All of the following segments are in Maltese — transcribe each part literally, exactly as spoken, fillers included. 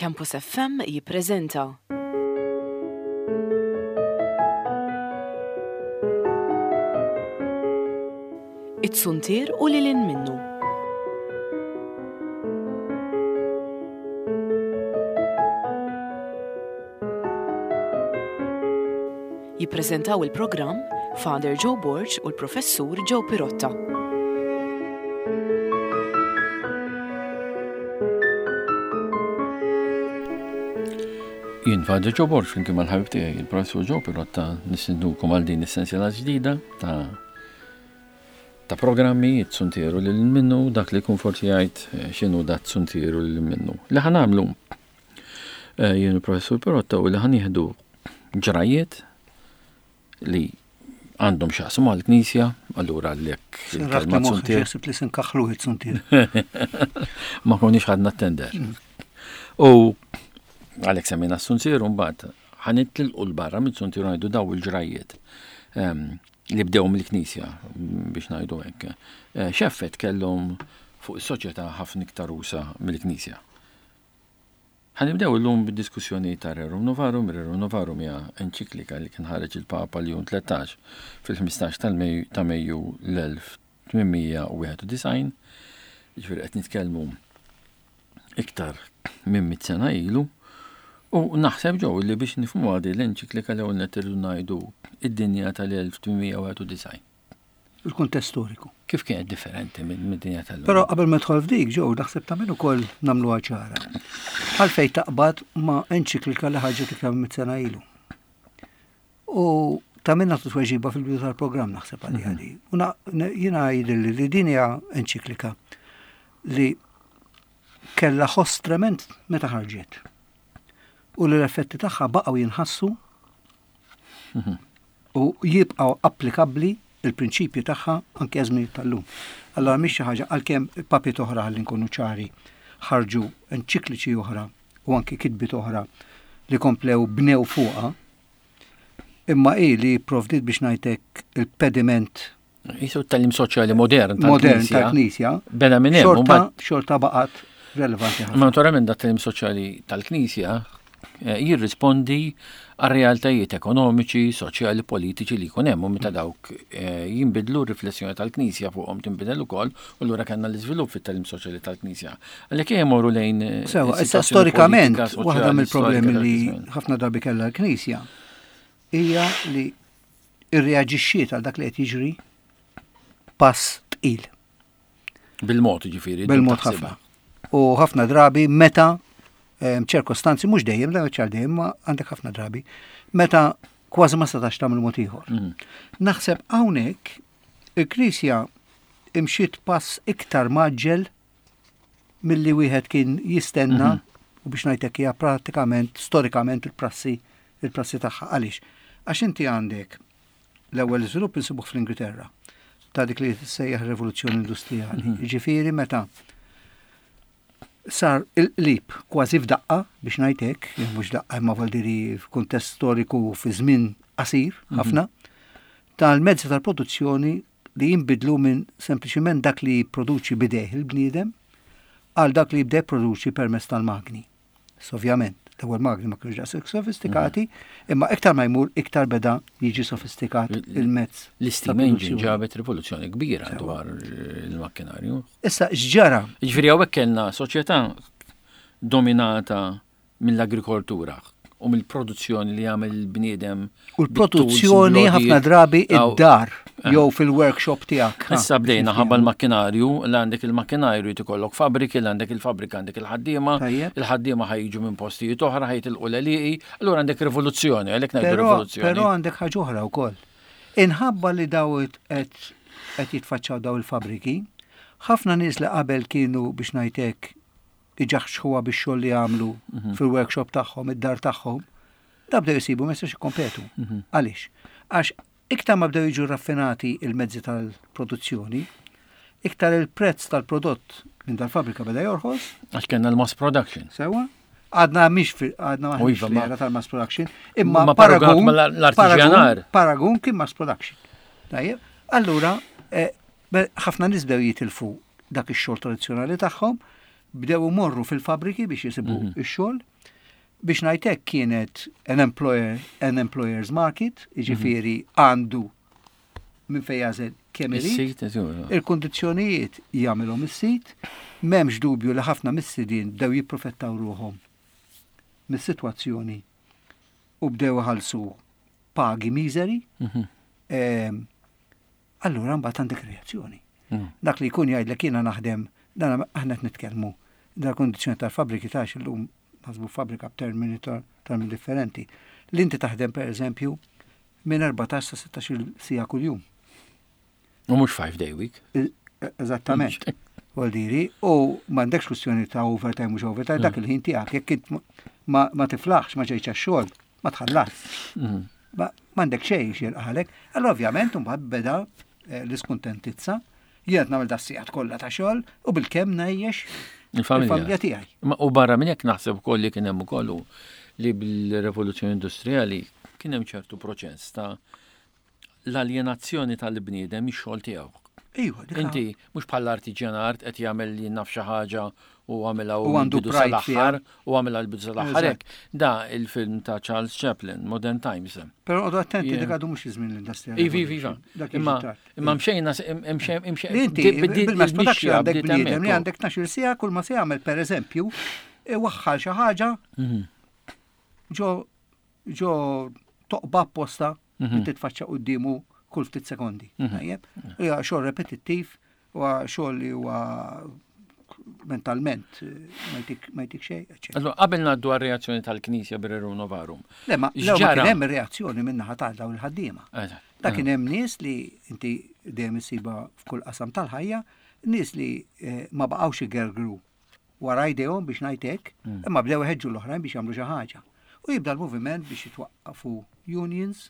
Campus F M jippreżenta It-Suntier u lil hinn minnu. Jippreżentaw il-programm Father Joe Borg u l-Professur Joe Pirotta. Jien Father Joe Borg, flimkien mal-ħabib tiegħi, il-Professur Joe Pirotta, nistednukom għal din is-sensiela ġdida ta' ta' programmi It-Suntieru lil minnu. Dak li jkun forsi jgħid eh, x'inhu da t-suntieru lil minnu. Li ħa nagħmlu eh, jien il-Professur Pirotta u li ħa nieħdu ġrajiet li għandhom x'jaqsmu mal-Knisja, allura l-ek il-kelma suntier. Ħsibt li sinkaħlu il-suntier. Ma konniex ħadna tender. U għalhekk semmejna s-suntier, mbagħad ħa nitilqu 'l barra mit-suntier, ngħidu daw il-ġrajiet ehm, li bdew mill-Knisja, biex ngħidu hekk. Eh, x'effett kellhom fuq is-soċjetà ħafna iktar usa' mill-Knisja? Ħa nibdew illum bid-diskussjoni ta' Rerum Novarum. Rerum Novarum hija enċiklika li kien ħareġ il-Papa Ljun tlettax fil-ħmistax ta' Mejju l-elf tmien mija u wieħed u disgħin, ġifieri qed nitkellmu iktar minn mit sena ilu. U naħseb ġew li biex nifhmu għadi l-enċiklika, l-ewwel nett irridu ngħidu id-dinja tal-elf tmien mija u wieħed u disgħin. Il-kuntest storiku. Kif kienet differenti minn dinja tal-lum? Però qabel ma dħol f'dik, ġew, naħseb ta' minn ukoll nagħmluha ċara. Għalfej taqbad ma' enċiklika li ħarġet iktar minn sena ilu? U ta' minna tweġiba fil-bidu tal-programm, naħseb, għalli għalli. U jiena jidhirli li din hija enċiklika li kella ħoss trement meta ħarġet. U li l-effetti tagħha baqgħu jinħassu u jibqgħu applikabbli il-prinċipju tagħha anke żmien tal-lum. Allora mhix xi ħaġa, għalkemm papiet oħra, ħalli nkunu ċari, ħarġu enċikliċi oħra u anke kitbiet oħra li komplew bnew fuqha, imma i li provdit, biex ngħidlek, il-pediment Jisu t-tagħlim soċjali modern modern tal-Knisja. Bena minn hemm. Xorta, xorta baqgħet relevanti ħafna. Ma naturalment dat tagħlim soċjali tal-Knisja eh, jirrispondi għal realtajiet ekonomiċi, soċjali, politiċi li jkun hemm, u meta dawk eh, jinbidlu, riflessjoni tal-Knisja fuqhom tinbidel ukoll, u allura kellna l-iżvilupp fit-tagħlim soċjali tal-Knisja. Għalhekk jmorru lejn eh, Sewa, issa storikament, waħda mill-problemi li ħafna drabi kellha l-Knisja hija li irreaġixxiet għal dak li qed jiġri pass tqil. Bil-mod, ġifieri. Bil-mod ħafna. U ħafna drabi meta ċirkostanzi, mhux dejjem, la ċar dejjem, ma għandek ħafna drabi, meta kważi ma setax tagħmel mod ieħor. Mhm. Naħseb hawnhekk il-Knisja imxiet pass iktar mgħaġġel milli wieħed kien jistenna mhm. u, biex ngħidlek, hija pratikament storikament il-prassi il-prassi tagħha. Għaliex? Għax inti għandek l-ewwel iżvilupp insibuh fl-Ingilterra ta' dik li tissejjaħ rivoluzzjoni industrijali. Mhm. Ġifieri meta sar il-qlib kważi f'daqqa, biex ngħidlek, mhux daqqa imma valdiri f'kuntest storiku fi żmien qasir mhm. ħafna, tal-mezzi tal-produzzjoni li jinbidlu minn sempliċiment dak li jipproduċi b'idejh il-bniedem għal dak li jibda jipproduċi permezz tal-magni. Ovvjament, l-ewwel magni ma kienux daqshekk sofistikati, imma iktar ma jmur iktar beda jiġi sofistikat il-mezz. L-steam engine ġabet rivoluzzjoni kbira dwar il-makkinarju. Issa x'ġara? Ġifieri hawnhekk kellna soċjetà dominata mill-agrikoltura u mill-produzzjoni li jagħmel il-bniedem. U l-produzzjoni ħafna drabi id-dar eh. jew fil-workshop tiegħek. Issa bdejna ħabba l-makkinarju, l għandek il-makkinarju jkollok fabriki, l għandek il-fabrika għandek il-ħaddiema, il-ħaddiema ħa jiġu minn postijiet oħra, ħa jitilqu l-għelieqi, allura għandek rivoluzzjoni, għalhekk ngħidu rivoluzzjoni. Però għandek ħaġa oħra wkoll. Inħabba li daw qed jitfaċċaw daw il-fabriki, ħafna nies li qabel kienu, biex ngħidlek, iġaħxħuha bix-xogħol li jagħmlu mhm. fil-workshop tagħhom, id-dar tagħhom, da bdew jisibu ma jistax jikkompetu. Mhm. Għaliex? Għax iktar ma bdew jiġu raffinati il-mezzi tal-produzzjoni, iktar il-prezz tal-prodott minn dal-fabrika beda jorħos. Għax kellna l-mass production. Sewa? Għadna mhix għadna maħniex fl tal-mass production, imma paragun l-artiġjanar. Paragun kien mass production. Tajjeb, allura eh, ħafna nies bdew jitilfu dak ix-xogħol tradizzjonali tagħhom, bdew imorru fil-fabriki biex jisibu Mhm. ix-xogħol. Biex ngħidlek kienet an employer, an employer's market, jiġifieri għandu minn fejn jagħżel kemm irid. Is-sit, eżu. Il-kondizzjonijiet jagħmilhom is-sit, m'hemmx dubju li ħafna mis-sidien bdew jipprofettaw ruħhom mis-sitwazzjoni u bdew iħallsu pagi miżeri. Mhm. Ehm, Allura mbagħad għandek reazzjoni. Mhm. Dak li jkun jgħidlek jiena naħdem, dan aħna qed nitkellmu, dal kondizzjoni tal-fabriki tax illum naħsbu fabbrika b'termini ta' termini differenti. Li inti taħdem per eżempju minn erbatax sa sittax-il siegħa kuljum. U mhux five day week. Eżattament. Vuoldiri, u m'għandekx kwistjoni ta' overtime mhux overtime, dak il-ħin tiegħek, jekk int ma, ma tiflaħx, ma ġejtx għax-xogħol, ma tħallas. Mhm. Ma m'għandek xejn x'jilqalek. Allora ovvjament mbagħad beda eh, l-iskuntentizza, jien qed nagħmel das-sigħat kollha ta' xogħol u bilkemm ngħajjex Il-familja. il-familja tiegħi. Ma u barra minn hekk naħseb ukoll li kien hemm ukoll li bil-rivoluzzjoni industrijali kien hemm ċertu proċess ta' l-aljenazzjoni tal-bniedem mix-xogħol tiegħu. Iva, dik Inti mhux bħala artiġjanart qed jagħmel li naf xi ħaġa u għamilha U għandu bidu pride sal-aħħar u għamilha l-bidu sal-aħħar Eżatt. hekk. Da il-film ta' Charles Chaplin, Modern Times. Però għodu attenti Yeah. dik għadu mhux iż-żmien l-industrial. Ivi, ivi, iva. Dak jiġi Imma tard. imma mxejna imxejn imxejn Li inti bil-mass production għandek bniedem li għandek tnax-il siegħa kull ma se jagħmel pereżempju iwaħħal xi ħaġa ġo ġo toqba apposta li titfaċċa quddiemu kull ftit sekondi. Tajjeb? Hija xogħol repetittiv, huwa xogħol li huwa mentalment eh, ma jtik ma jtik xejn, eċċetera. Allora, qabel ngħaddu għar-reazzjoni tal-Knisja bir-Rerum Novarum. Le, ma le, ma X'ġara? kien hemm reazzjoni min-naħa ta' dawn il-ħaddiema. Eżatt. Da kien hemm nies li inti dejjem issiba f'kull qasam tal-ħajja, nies li eh, ma baqgħux igergru wara jdejhom biex ngħid hekk, imma bdew iħeġġu l-oħrajn biex jagħmlu xi ħaġa. U jibda l-moviment biex jitwaqqafu unions,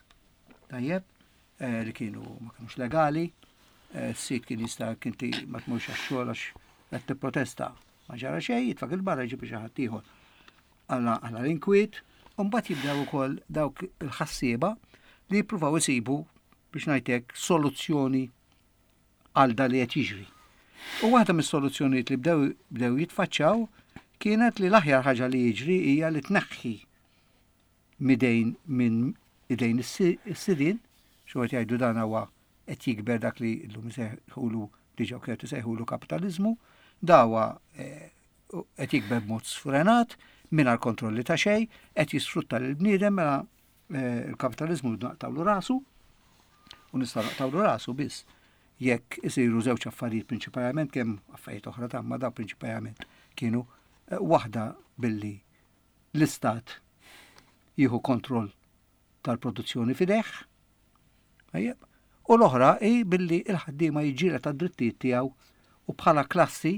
tajjeb, eh, li kienu ma kienux legali, eh, s-sit kien jista' kinti ma tmurx għax-xogħol għax qed tipprotesta. Ma ġara xejn, jitfak il-barra jġib xi ħadd ieħor. Għalla għalla l-inkwiet, u mbagħad jibdew ukoll dawk il-ħassieba li jippruvaw isibu biex ngħidlek soluzzjoni għal da li qed jiġri. U waħda mis-soluzzjonijiet li bdew bdew jitfaċċaw kienet li l-aħjar ħaġa li jiġri hija li tneħħi midejn minn idejn is-si- is-sidien, xi qed jgħidu dan huwa qed jikber dak li llum isejħulu diġà kienet isejħulu kapitaliżmu, dawa eh, qed jikber b'mod sfrenat, mingħajr kontrolli ta' xejn, qed jisfrutta lil bniedem mela eh, il-kapitaliżmu naqtawlu rasu u nista' naqtawlu rasu biss jekk isiru żewġ affarijiet prinċipalment kemm affarijiet oħra ta' ma daw prinċipalment kienu eh, waħda billi l-istat jieħu kontroll tal-produzzjoni f'idejh. Tajjeb. U l-oħra hi billi il-ħaddiema jiġġieled tad-drittijiet tiegħu u bħala klassi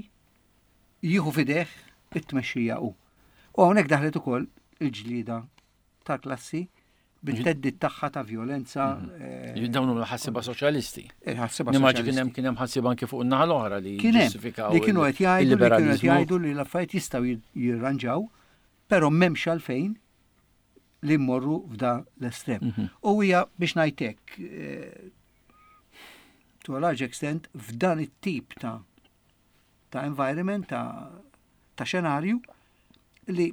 jieħu f'idejh it-tmexxija hu. U hawnhekk daħlet ukoll il-ġlieda tal-klassi bit-theddid tagħha ta' violenza. eh, Dawn huma ħassiba soċjalisti. Il-ħassiba Nimmaġi kien hemm soċjalisti. kien hemm ħassiba anke fuq in-naħa l-oħra li Kien hemm ġustifikaw li kienu il- qed jgħidu li kienu qed il-liberalizmu. jgħidu li l-affarijiet jistgħu jir- jirranġaw, però m'hemmx għalfejn li mmorru f'da l-estrem. Mhm. U hija biex ngħidlek eh, to a large extent f'dan it-tip ta' ta' environment, ta' ta' xenarju li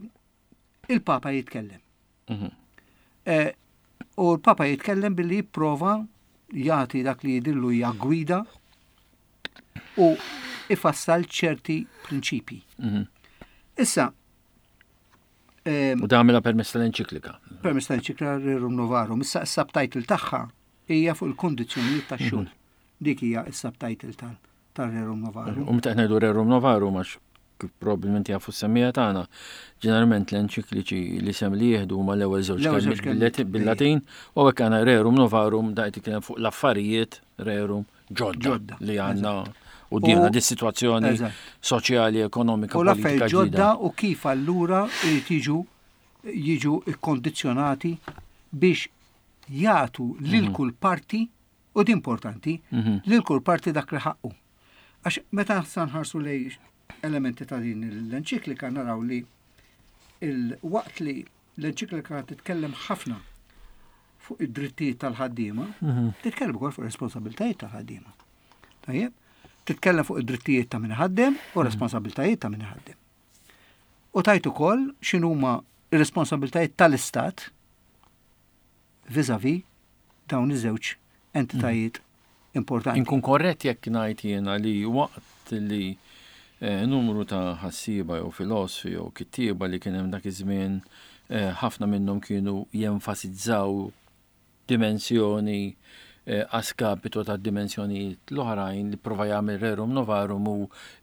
il-Papa jitkellem. Mhm. Eh, U l-Papa jitkellem billi jipprova jagħti dak li jidillu hija gwida u ifassal ċerti prinċipji. Mhm. Issa, em, U da għamilha permezz tal-enċiklika. permezz tal-enċiklika Rerum Novarum, issa s-subtitle tagħha hija fuq il-kondizzjonijiet tax-xogħol. Dik hija s-subtitle tal- tal-Rerum Novarum. U meta qed ngħidu Rerum Novarum għax kif probabbilment jafu s-semmija tagħna, ġeneralment l-enċikliċi li sem li jieħdu huma l-ewwel żewġ L-ewwel żewġ kelmiet kelmiet, bil-Latin- bil-Latin u hekk għandna Rerum Novarum da qed jitkellem fuq l-affarijiet Rerum ġodda Ġodda, li għandna u dina U- di situazzjoni Eżatt. soċjali, ekonomika, U politika l-affarijiet ġodda ġdida. u kif allura irid jiġu jiġu ikkondizzjonati biex jagħtu lil kull parti u di importanti Mhm. lil kull parti dak li ħaqqu. Għax meta sa nħarsu lej elementi ta' din l-enċiklika naraw li il-waqt li l-enċiklika titkellem ħafna fuq id-drittijiet tal-ħaddiema, titkellem ukoll fuq ir-responsabbiltajiet tal-ħaddiema. Tajjeb? Titkellem fuq id-drittijiet ta' min ħaddem u responsabbiltajiet ta' min ħaddem. U tajt ukoll x'inhuma Ir-responsabiltajiet tal-Istat vis-a-vis dawn iż-żewġ entitajiet importanti. Inkun korrett jekk ngħid jiena li waqt li eh, numru ta' ħassieba jew filosofi jew kittieba li kien hemm dak iż-żmien, eh, ħafna minnhom kienu jenfasizzaw dimensjoni eh, a skapito ta' dimensjonijiet l-oħrajn, li prova jagħmel Rerum Novarum u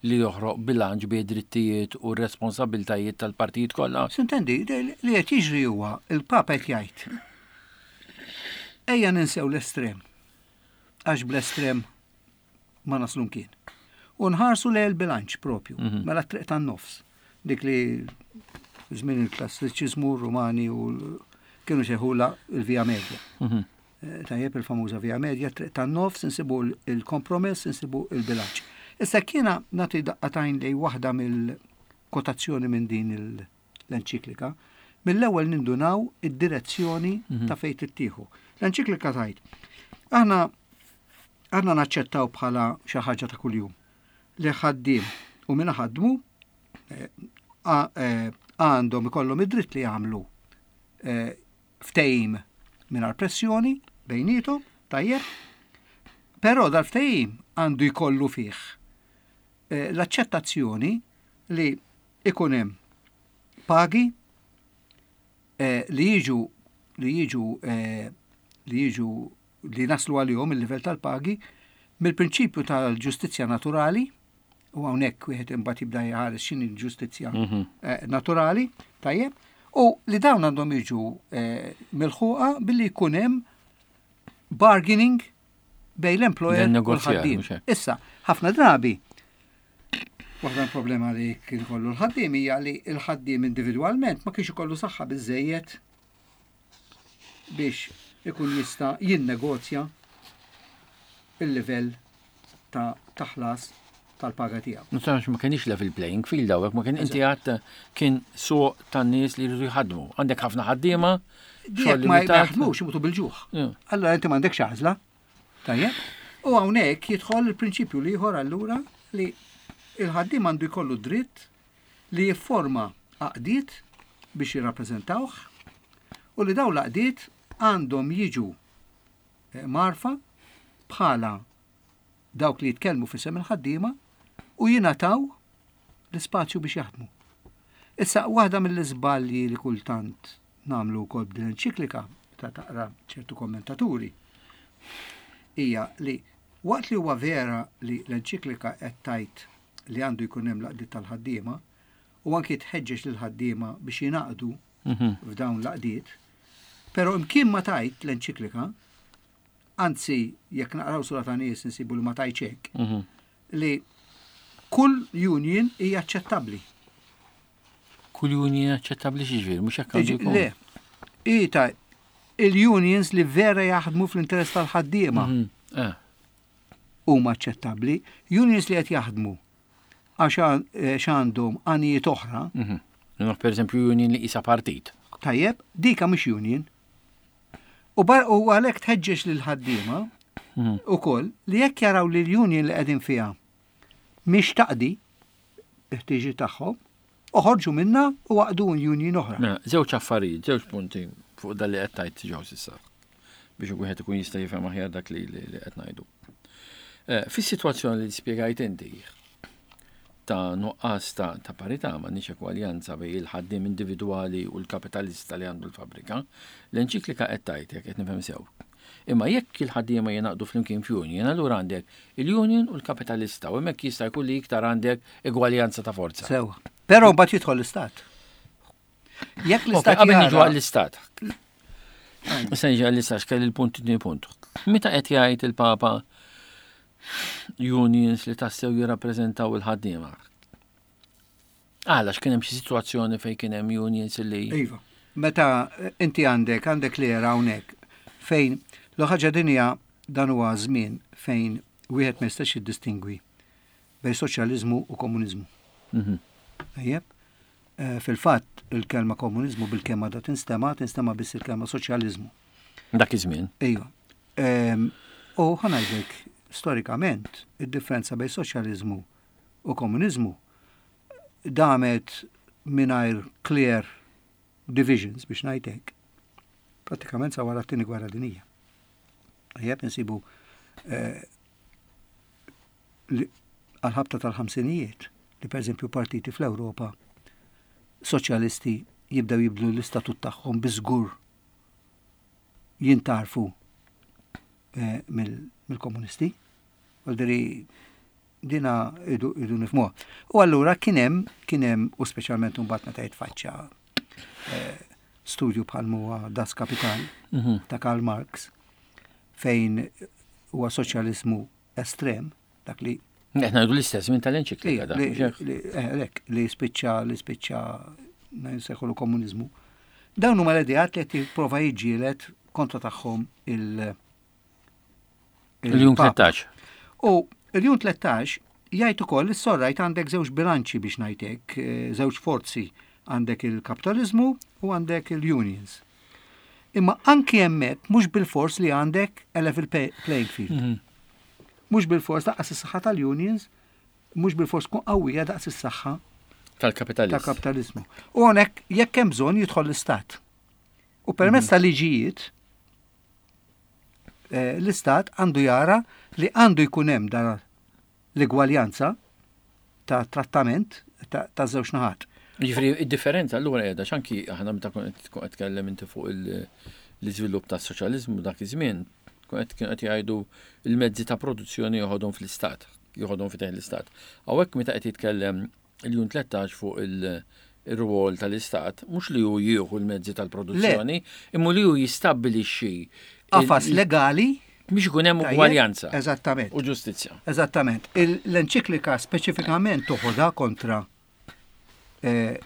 li joħroq bilanċ bejn drittijiet u responsabiltajiet tal-partijiet kollha. S'intendi, li qed jiġri huwa il-Papa qed jgħid: ejja ninsew l-estrem, għax bl-estrem ma naslu mkien. U nħarsu lejn il-bilanċ propju, Mhm. mela triq tan-nofs. Dik li żmien il-klassiċiżmu Rumani u l- kienu sejħula il-Via Media. Mhm. Eh, Tajjeb, il-famuża Via Media, triq tan-nofs, insibu il-kompromess, insibu il-bilanċ. Issa kiena nagħti daqqa t'għajn li waħda mill-kotazzjoni minn din il- l-enċiklika, mill-ewwel nindunaw id-direzzjoni Mhm. ta' fejn tittieħu. L-enċiklika tgħid: Aħna aħna naċċettaw bħala xi ħaġa ta' kuljum li ħaddiem u min ħadmu eh, a- eh, għandhom ikollhom id-dritt li jagħmlu eh, ftehim mingħajr pressjoni bejnietom, tajjeb, però dal-ftehim għandu jkollu fih eh, l-aċċettazzjoni li ikun hemm pagi eh, li jiġu li jiġu eh, li jiġu li naslu għalihom il-livell tal-pagi mill-prinċipju tal-ġustizzja naturali, u hawnhekk wieħed imbagħad jibda jħares x'inhi l-ġustizzja Mhm. eh, naturali, tajjeb, u li dawn għandhom jiġu eh, milħuqa billi jkun hemm bargaining bejn l-employer u Negozjar, l-ħaddiem. mhux hekk. Issa, ħafna drabi, waħda problema li kien kollu l-ħaddiem hija li l-ħaddiem individwalment ma kienx ikollu saħħa biżejjed biex ikun jista' jinnegozja il-livell ta' taħlas tal-paga tiegħu. Nistgħux, ma kienx level playing field hawnhekk, ma kien, inti għadt, kien suq tan-nies li jridu jħadmu. Għandek ħafna ħaddiema, Jekk xogħol ma limitat. jaħdmux imutu bil-ġuħ. Yeah. Allora inti m'għandekx għażla. Tajjeb? U hawnhekk jidħol il-prinċipju li ieħor allura li il-ħaddiem għandu jkollu dritt li jifforma għaqdiet biex jirrappreżentawh u li dawn l-għaqdiet għandhom jiġu eh, mgħarrfa bħala dawk li jitkellmu f'isem il-ħaddiema u jingħataw l-ispazju biex jaħdmu. Issa, waħda mill-iżbalji li kultant nagħmlu wkoll b'din enċiklika ta' taqra ċertu kommentaturi hija li waqt li huwa vera li l-enċiklika qed tgħid li għandu jkun hemm l-għaqdiet tal-ħaddiema u anki tħeġġeġ lil ħaddiema biex jingħaqdu Mhm. f'dawn l-għaqdiet, però imkien ma tgħid l-enċiklika, anzi jekk naqraw sura ta' nies insibu li ma tgħidx hekk, Mhm. li kull union hija aċċettabbli. Kull union aċċettabbli x'jiġifieri, mhux hekk għandu jkun. Le, ita il-unions li vera jaħdmu fl-interess tal-ħaddiema Mhm. Eh, huma aċċettabbli, unions li qed jaħdmu għax għan- eh, x'għandhom għanijiet oħra, mhm. Naf, per eżempju, union li isa partit. Tajjeb, dika mhux union. U bar u għalhekk tħeġġeġ lil ħaddiema Mhm. ukoll li jekk jaraw li l-union li qegħdin fiha mhix taqdi l-ħtiġi tagħhom, oħorġu minna u għaqdu union oħra. Mela, żewġ affarijiet, żewġ punti fuq dal li qed tgħid ġew s'issa biex wieħed ikun jista' jifhem aħjar dak li li li qed ngħidu. Eh, Fis-sitwazzjoni li spjegajt inti ta' nuqqas ta' ta' parità, m'għandniex ekwaljanza bejn il-ħaddiem individwali u l-kapitalista li għandu l-fabrika, l-enċiklika qed tgħid, jekk qed nifhem sew: imma jekk il-ħaddiema jingħaqdu flimkien f'union, allura għandek il-union u l-kapitalista u hemmhekk jista' jkun li iktar għandek egwaljanza ta' forza. Sewa. Però mbagħad jidħol l-istat. Jekk Ok, l-istat qabel niġu jara- għall-istat. Issa niġu għall-istat, x'kelli l-punt, tieni punt. Meta qed jgħid il-Papa unions li tassew jirrappreżentaw il-ħaddiema? Għala, x'kien hemm xi sitwazzjoni fejn kien hemm unions li Iva. Meta inti għandek, għandek li hawnhekk fejn l-ħaġa dinja dan huwa żmien fejn wieħed ma jistax jiddistingwi bejn soċjaliżmu u komuniżmu. Mhm. Tajjeb? Eh, Fil-fatt il-kelma komuniżmu bil-kelma da tinstema, tinstema biss il-kelma soċjaliżmu. Dak iż-żmien. Iva. Ehm, U ħa ngħidlek, storikament, id-differenza bejn soċjaliżmu u komuniżmu damet mingħajr clear divisions biex ngħidlek prattikament sa wara t-tieni gwerra dinija. Tajjeb insibu eh, li- għal-ħabta tal-ħamsinijiet li per eżempju partiti fl-Ewropa soċjalisti jibdew jibdlu l-istatut tagħhom biżgur jintarfu eh, mill- mill-komunisti. Għalderi dina idu, idu nifhmuha. U allura kien hemm kien hemm u speċjalment mbagħad meta jitfaċċa eh, studju bħal huwa Das Kapital Mhm. ta' Karl Marx fejn huwa soċjaliżmu estrem dak li Qed ngħidu l-istess minn tal-enċiklika da. li, mhux hekk? li, eh, lek, li spiċċa li spiċċa nsejħulu komuniżmu. Dawn huma l-ideat li qed jipprova jiġġieled kontra tagħhom il- Il-Ljun il-Papa. tlettax. U il-Ljun tlettax jgħid ukoll is-sorrajt għandek żewġ bilanċi biex ngħidlek, eh, żewġ forzi għandek il-kapitalizmu u għandek il-unions. Imma anki hemmhekk mhux bil-fors li għandek a level pay- playing field. Mhm. Mhux bil-fors daqs is-saħħa tal-unions, mhux bil-fors tkun qawwija daqs is-saħħa Tal-kapitalist. tal-kapitalizmu. U hawnhekk jekk hemm bżonn jidħol l-istat. U permezz ta' liġijiet eh, l-istat għandu jara li għandu jkun hemm dan l-igwaljanza ta' trattament ta' ta' żewġ naħat. Ġifieri, id-differenza allura qiegħda x'anki aħna meta kont qed tkun qed tkellem inti fuq il- l-iżvilupp tas-soċjaliżmu dak iż-żmien, kont qed kienu qed jgħidu il-mezzi ta' produzzjoni joħodhom fl-istat, joħodhom f'idejn l-istat. Hawnhekk meta qed jitkellem il-Ljun tlettax fuq il- ir-rwol tal-istat, mhux li hu jieħu l-mezzi tal-produzzjoni, imma li hu jistabbilixxi il- Qafas legali biex ikun hemm tajjeb, ugwaljanza Eżattament. u ġustizzja. Eżattament. Il- L-enċiklika speċifikament toħodha kontra eh,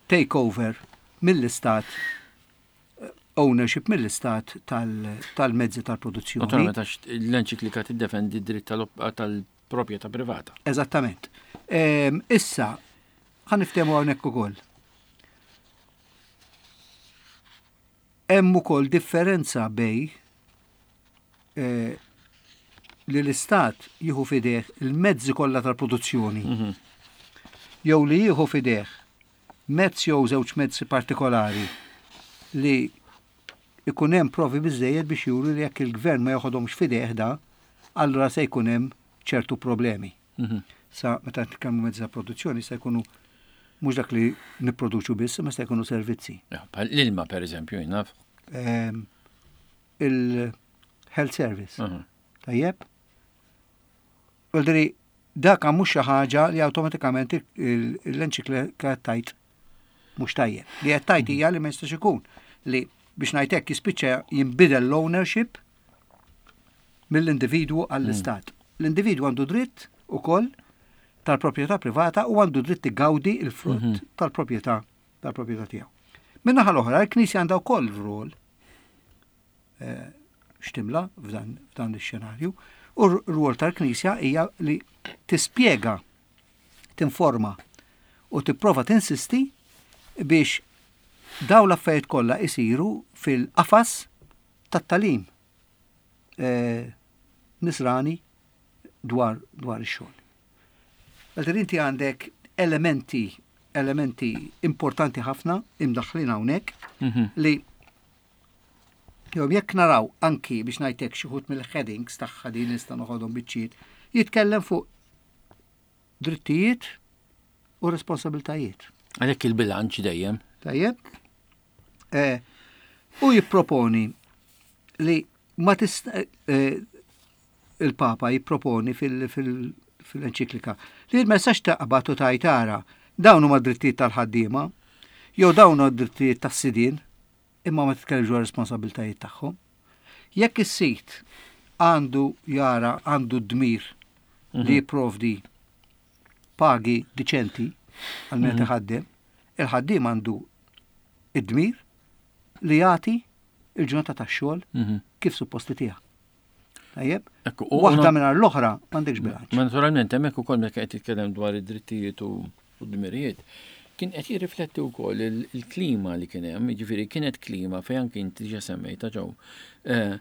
takeover mill-istat, eh, ownership mill-istat tal- tal-mezzi tal-produzzjoni. Naturalment għax l-enċiklika tiddefendi d-dritt tal- tal-proprjetà privata. Eżattament. Ehm, Issa, ħa niftehmu hawnhekk ukoll. Hemm ukoll differenza bej eh, li l-istat jieħu fideh il-mezzi kollha tal-produzzjoni Mhm. jew li jieħu fideh mezz jew żewġ mezzi partikolari li ikun hemm provi biżejjed biex juru li jekk il-gvern ma joħodhomx fideh da, allura se jkun hemm ċertu problemi. Mhm. Sa meta nitkellmu mezzi ta' produzzjoni se jkunu mhux dak li nipproduċu biss, imma se jkunu servizzi. Ja, bħal L-ilma per eżempju, jien naf. Ehm, Il-health service. Mhm. Tajjeb? Vuoldiri, dak mhux xi ħaġa li awtomatikament il- l-enċiklika tajt mhux tajjeb. Li qed tajt hija li ma jistax ikun li biex ngħid hekk jispiċċa jinbidel l-ownership mill-individwu għall-istat. L-individwu għandu dritt ukoll tal-proprjetà privata u għandu dritt igawdi il-frott tal-proprjetà tal-proprjetà tiegħu. Min-naħa l-oħra, il-Knisja għandha wkoll rol eh, x'timla f'dan f'dan ix-xenarju u r-rwol tal-Knisja hija li tispjega, tinforma u tipprova tinsisti biex daw l-affarijiet kollha isiru fil-qafas tat-talim eh, nisrani dwar dwar ix-xogħol. Għalter inti għandek elementi elementi importanti ħafna imdaħħlin hawnhekk Mhm. li jew jekk naraw anki biex ngħidlek xi wħud mill-headings tagħha din nista' noħodhom biċċiet, jitkellem fuq drittijiet u responsabiltajiet. Għalhekk il-bilanċ dejjem. Tajjeb? Eh, u jipproponi li ma tista eh, il-Papa jipproponi fil- fil- fil-enċiklika li ma jistax taqbad u tajtara dawn huma drittijiet tal-ħaddiema jew dawn huma drittijiet tas-sidien imma ma titkellimx dwar responsabiltajiet tagħhom. Jekk is-sit għandu jara għandu d-dmir li jipprovdi pagi diċenti għal min qed iħaddem, il-ħaddiem għandu id-dmir li jagħti il-ġurnata tax-xogħol Mhm. kif supposti tiegħek. Tajjeb? Ekku, u- Waħda u- mingħajr l-oħra m'għandekx bilanċ. Ma naturalment hemmhekk ukoll meta qed jitkellem dwar id-drittijiet u u d-dmirijiet, kien qed jirrifletti wkoll il- il-klima li kien hemm, jiġifieri kienet klima fejn anki inti diġà semmejta ġew. Eh,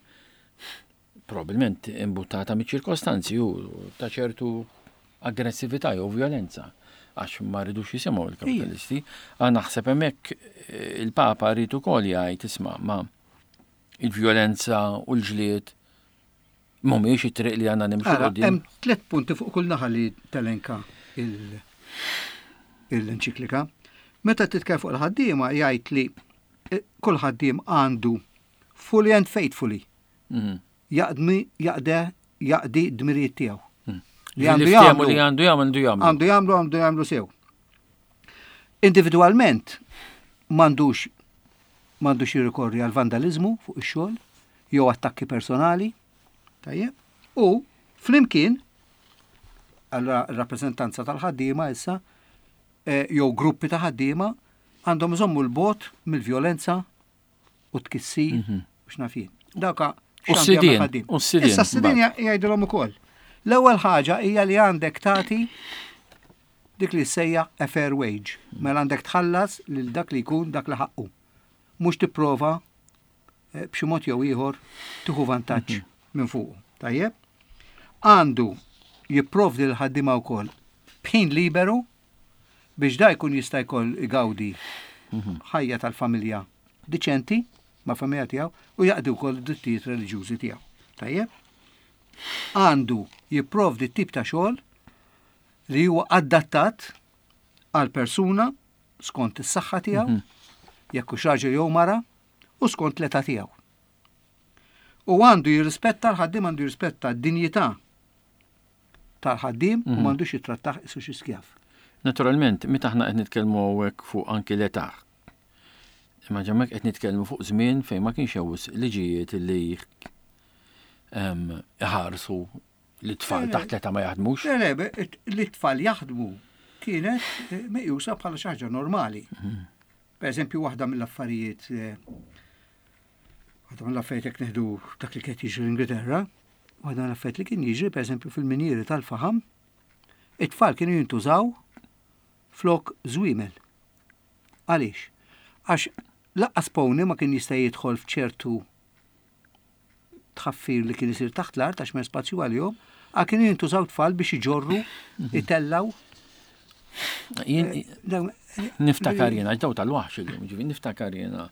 Probabilment imbuttata miċ-ċirkostanzi u ta' ċertu aggressività jew violenza. Għax ma ridux jisimgħu il-kapitalisti. Għax naħseb hemmhekk eh, il-Papa rrid ukoll jgħid, isma', ma il-vjolenza u l-ġlied mhumiex it-triq li għandna nimxu Ara, quddiem. hemm tliet punti fuq kull naħa li telenka il- l-enċiklika. Meta titkellem fuq il-ħaddiema, jgħid li eh, kull ħaddiem għandu fully and faithfully Mhm. jaqdmi jaqde jaqdi dmirijiet tiegħu. Li Li għandu ftehmu jagħmlu li għandu jagħmlu għandu jagħmlu. għandu jagħmlu għandu jagħmlu sew. Individwalment m'għandux m'għandux jirrikorri għal vandalizmu fuq ix-xogħol jew attakki personali. Tajjeb. U flimkien għal rappreżentanza tal-ħaddiema issa eh, jew gruppi ta' ħaddiema għandhom iżommu l-bogħod mill-vjolenza u tkissir Mhm. u x'naf jien. Dawka U x'għandu s-sidien, jagħmel ħaddiem. u s-sidien, Issa s-sidien jgħidulhom ukoll. L-ewwel ħaġa hija li għandek tagħti dik li sejja a fair wage. Mela għandek tħallas lil dak li jkun dak li ħaqqu. Mhux tipprova eh, b'xi mod jew ieħor tieħu vantaġġ minn fuq. Tajjeb? Għandu jipprovdi l-ħaddiema wkoll b'ħin liberu biex da jkun jista' jkoll igawdi ħajja tal-familja diċenti ma' familja tiegħu u jaqdi wkoll id-drittijiet reliġjużi tiegħu. Tajjeb? Għandu jipprovdi tip ta' xogħol li huwa adattat għal persuna skont is-saħħa tiegħu, jekk hux raġel jew mara, u skont l-età tiegħu. U għandu jirrispetta l-ħaddiem, għandu jirrispetta d-dinjità tal-ħaddiem u m'għandux jittrattah qisu xi skjav. Naturalment, meta aħna qed nitkellmu hawnhekk fuq anki l-età. Imma ġemmek qed nitkellmu fuq żmien fejn ma kienx hawn liġijiet li em, iħarsu li tfal Le, le. taħt l-età ma jaħdmux. Le, le, be- it- li t-tfal jaħdmu kienet eh, meqjusa bħala xi ħaġa normali. Per eżempju, waħda mill-affarijiet eh, waħda mill-affarijiet jekk neħdu dak li kien jiġri l-Ingilterra, waħda mill-affarijiet li kien jiġri per eżempju fil-minieri tal-faħam, it-tfal kienu jintużaw flok żwiemel. Għaliex? Għax laqqas pony ma kien jista' jidħol f'ċertu tħaffir li kien isir taħt l-art għax m'hemm spazju għalihom, għal kienu jintużaw tfal biex iġorru, itellaw. Jien Dawn- niftakar jiena, daw tal-waħx illum, ġifieri niftakar jiena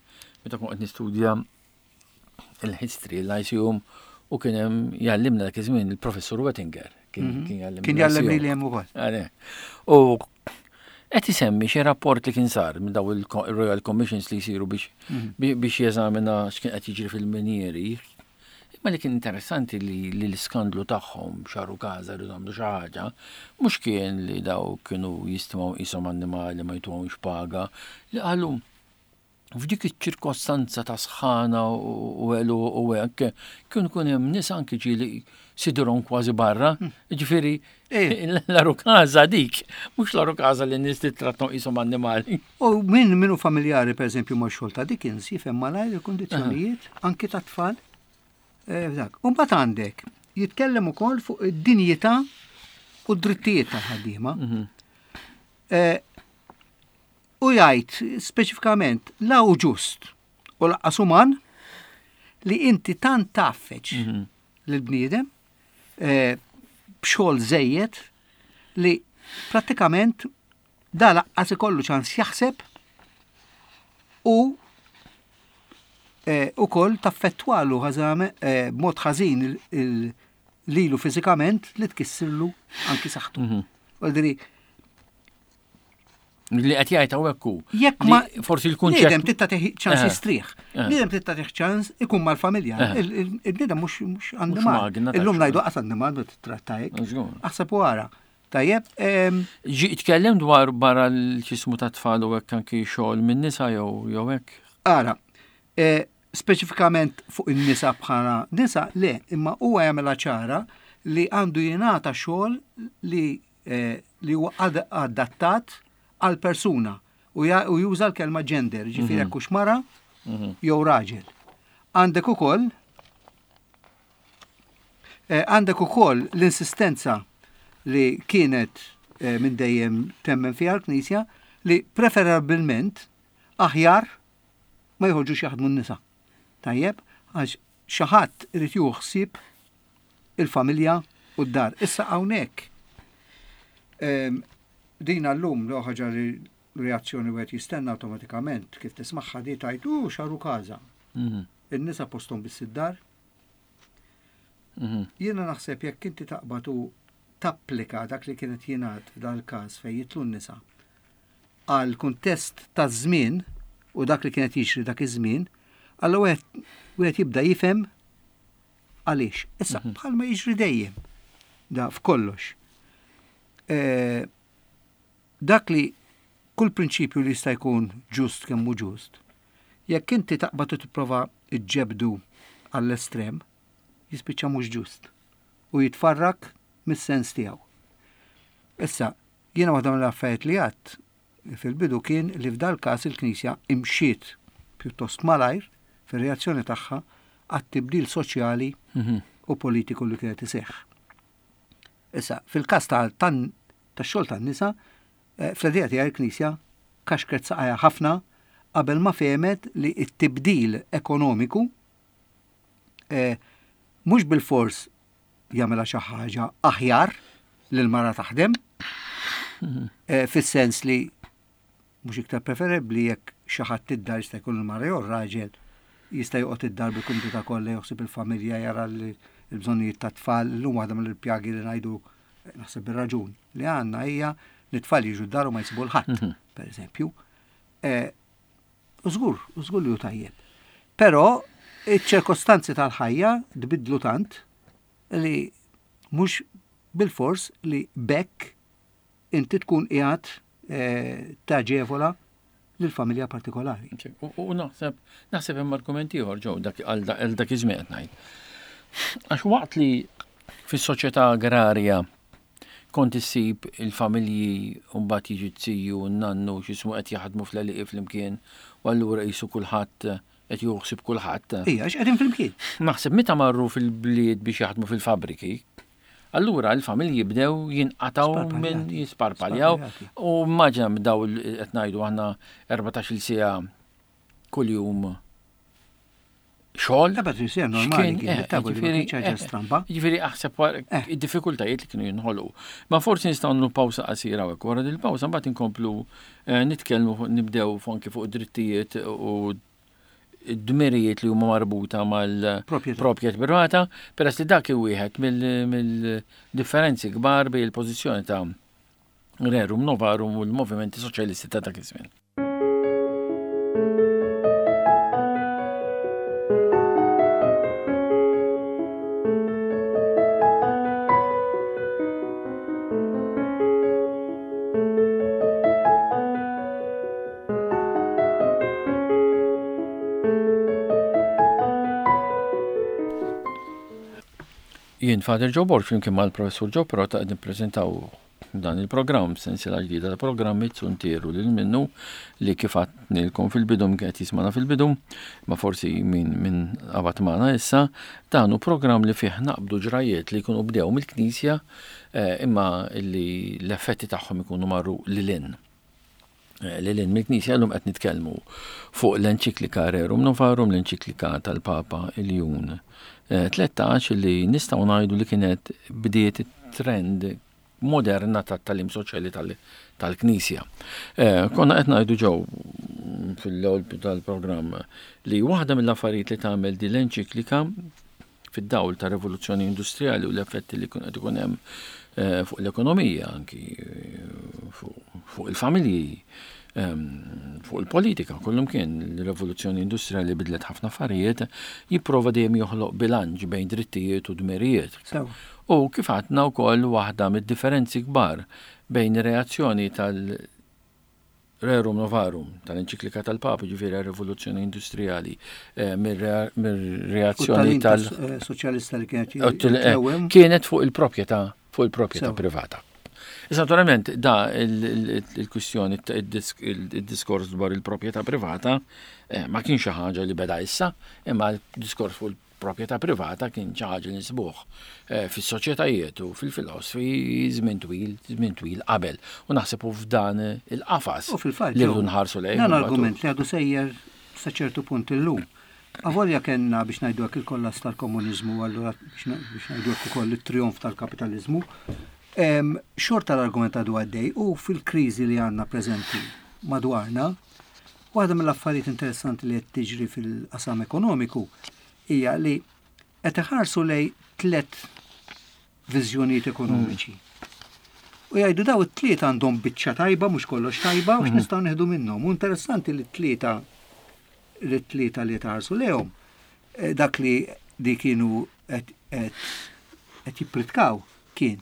meta kont qed nistudja il-history, l-Lyceum, u kien hemm jgħallimna dak iż-żmien il-professur Wettinger. Kien kien jgħallimna Kien jgħallem l-Lyceum. li hemm ukoll. Għale. U qed isemmi xi rapport li kien sar minn daw il-Royal Commissions li jsiru biex bi- biex jeżamina x'kien qed jiġri fil-minieri. Imma li kien interessanti li, li l-iskandlu tagħhom xaru każa rridu għamlu xi ħaġa, mhux kien li daw kienu jistmaw qishom annimali, ma jtuhomx paga, li qalu f'dik iċ-ċirkostanza ta' sħana u għelu u hekk, kien kun hemm nies anki ġieli sidurhom kważi barra, ġifieri Eh. l-għarukaża dik, mhux l-għarukaża li n-nies tittrattom qishom annimali. U min minu familjari per eżempju ma' xogħol ta' Dickens jifhem malajr il-kundizzjonijiet anki ta' tfal. eh, Dak. U mbagħad għandek jitkellem ukoll fuq id-dinjità u d-drittijiet tal-ħaddiema. Eh, U jgħid speċifikament la hu ġust u laqqas uman li inti tant taffeċ lill-bniedem eh, b'xogħol żejjed li prattikament da laqqas ikollu ċans jaħseb u eh, ukoll taffettwalu ħażame eh, b'mod ħażin il- il- lilu fiżikament li tkissirlu anki saħħtu. Vuol Li qed jgħid hawnhekk hu. Jekk li ma forsi Bniedem l-kunċett titta teħi ċans Eh. jistrieħ. Eh. Bniedem titta teħi ċans ikun mal-familja. Eh. Il- il- Il-bniedem mhux mhux annimal. magna ta' Illum xogħol. ngħidu qas annimal ma titratta hekk. Żgur. Aħseb u ara. Tajjeb, em, Ġi tkellem dwar barra l-ċismu ta' tfal u hekk anki xogħol minn nisa jew jew hekk. ara, eh, speċifikament fuq in-nisa bħala nisa, le, imma huwa jagħmilha ċara li għandu jingħata xogħol li eh, li huwa ad- adattat għal persuna u ja- u juża l-kelma gender, ġifieri jekk hux mara jew raġel. Għandek ukoll eh, għandek ukoll l-insistenza li kienet eh, minn dejjem temmen fiha l-Knisja li preferabilment aħjar ma jħorġux jaħdmu n-nisa. Tajjeb, għax xi ħadd irid jieħu ħsieb il-familja u d-dar. Issa hawnhekk em, Din għallum l ħaġa li reazzjoni wieħed jistenna awtomatikament kif tismagħha di tajt u xaru każa. Mhm. In-nisa posthom biss id-dar. Mhm. Jiena naħseb jekk inti taqbad u tapplika dak li kienet jingħad f'dal-każ fejn jitlu n-nisa għal kuntest ta' żmien u dak li kienet jiġri dak iż-żmien, allura wieħed wieħed jibda jifhem għaliex. Issa bħalma jiġri dejjem da f'kollox. Eh, Dak li kull prinċipju li jista' jkun ġust kemm hu ġust, jekk inti taqbad u tipprova ġġebdu għall-estrem, jispiċċa mhux ġust u jitfarrak mis-sens tiegħu. Issa, jiena waħda mill-affarijiet li għadt fil-bidu kien li f'dal każ il-Knisja imxiet pjuttost malajr fir-reazzjoni tagħha għat-tibdil soċjali Mhm. u politiku li kienet iseħħ. Issa, fil-każ ta' tan tax-xogħol tan-nisa, eh, fl-idea tiegħi il-Knisja kaxkret saqajha ħafna qabel ma fehmet li t-tibdil ekonomiku eh, mhux bil-fors jagħmilha xi ħaġa aħjar li l-mara taħdem, eh, fis-sens li mhux iktar preferibbli jekk xi ħadd id-dar jista' jkun il-mara jew ir-raġel jista' joqgħod id-dar bil-kumdità kollha joħsib il-familja jara li l-bżonnijiet tat-tfal, illum waħda mill-pjagi li ngħidu eh, naħseb bir-raġun li għandna hija li t-tfal jiġu d-dar u ma jsibu l-ħadd, per eżempju. Eh, U żgur, u żgur li hu tajjeb. Però iċ-ċirkostanzi tal-ħajja tbidlu tant li mhux bil-fors li bekk inti tkun qiegħed eh, taġevola lill-familja partikolari. U u naħseb naħseb hemm argument ieħor ġew dak għal da- għal dak iż-żmien qed ngħid. Għax waqt li fis-soċjetà agrarja kont issib il-familji u mbagħad jiġi t-tiju u n-nannu x'ismu qed jaħdmu fl-għelieqi flimkien u allura qisu kulħadd qed joħsib kulħadd. Ija, għax qegħdin flimkien. Naħseb meta marru fil-bliet biex jaħdmu fil-fabriki, allura l-familji bdew jinqataw minn Sparpaljati. jisparpaljaw Sparpaljati. u immaġina minn daw il- qed ngħidu aħna erbatax-il siegħa kuljum xogħol. Ebda trisija normali X'kien, kien, eh, tabu li ma ġifieri, kienx ħaġa eh, stramba. Ġifieri aħseb wara Eh. id-diffikultajiet li kienu jinħolqu. Ma forsi nistgħu nagħmlu pawsa qasira hawnhekk wara din il-pawsa mbagħad inkomplu eh, nitkellmu fuq- nibdew fuq anke fuq id-drittijiet u d-dmirijiet li huma marbuta Proprjetà. mal-proprjetà privata, peress li dak wieħed mill- mill-differenzi kbar bejn il-pożizzjoni ta' Rerum Novarum u l-movimenti soċjalisti ta' dak iż-żmien. Jien Father Joe Borg flimkien mal-Professur Joe Perrotta qed nippreżentaw dan il-programm sensiela ġdida ta' programmi Zuntier u lil minnu li kif għednilkom fil-bidu min qed jismana fil-bidu, ma forsi min min qabad magħna issa, dan hu programm li fih naqbdu ġrajiet li jkunu bdew mill-Knisja eh, imma li l-effetti tagħhom ikunu marru lil hinn. Eh, Lil hinn mill-Knisja llum qed nitkellmu fuq l-enċiklika Rerum Novarum, l-enċiklika tal-Papa Iljun eh, tlettax li nistgħu ngħidu li kienet bdiet trend moderna tat-tagħlim soċjali tal- tal-Knisja. Eh, Konna qed ngħidu ġew fil-ewwel tal-programm li waħda mill-affarijiet li tagħmel din l-enċiklika fid-dawl ta' rivoluzzjoni industrijali u l-effetti li kun qed ikun hemm eh, fuq l-ekonomija, anki eh, fuq fuq il-familji, ehm, fuq il-politika, kollum kien l-rivoluzzjoni industrijali bidlet ħafna affarijiet, jipprova dejjem joħloq bilanċ bejn drittijiet u dmirijiet. Sew. U kif għadna wkoll waħda mid-differenzi kbar bejn reazzjoni tal- Rerum Novarum, tal-enċiklika tal-Papa, ġifieri rivoluzzjoni industrijali, eh, mir-reazzjoni U tal- tal-soċjalista li kienet Eh, jitlewem. kienet fuq il-proprjetà fuq il-proprjetà Sew. privata. Issa naturalment da il- il- il-kwistjoni il-diskors dwar il-proprjetà privata eh, ma kienx xi ħaġa li beda issa, imma il-diskors fuq il-proprjetà privata kien xi ħaġa li nsibuh eh, fis-soċjetajiet u fil-filosofi żmien twil, żmien twil qabel. U naħseb u f'dan il-qafas U fil-fatt, li Joe, rridu nħarsu lejn. Dan mbagħad u- argument li għadu sejjer sa ċertu punt illum. Avolja kellna biex ngħidu hekk il-kollass tal-komuniżmu, allura biex na- biex ngħidu hekk ukoll it-trionf tal-kapitalizmu, Xorta l-argument għadu għaddej u fil-kriżi li għandna preżenti madwarna, waħda mill-affarijiet interessanti li qed tiġri fil-qasam ekonomiku hija li qed iħarsu lejn tliet viżjonijiet ekonomiċi. U jgħidu daw it-tlieta għandhom biċċa tajba, mhux kollox tajba, u x'nistgħu nieħdu minnhom. U interessanti li t-tlieta li t-tlieta li tħarsu lejhom eh, dak li di kienu qed qed jippritkaw kien.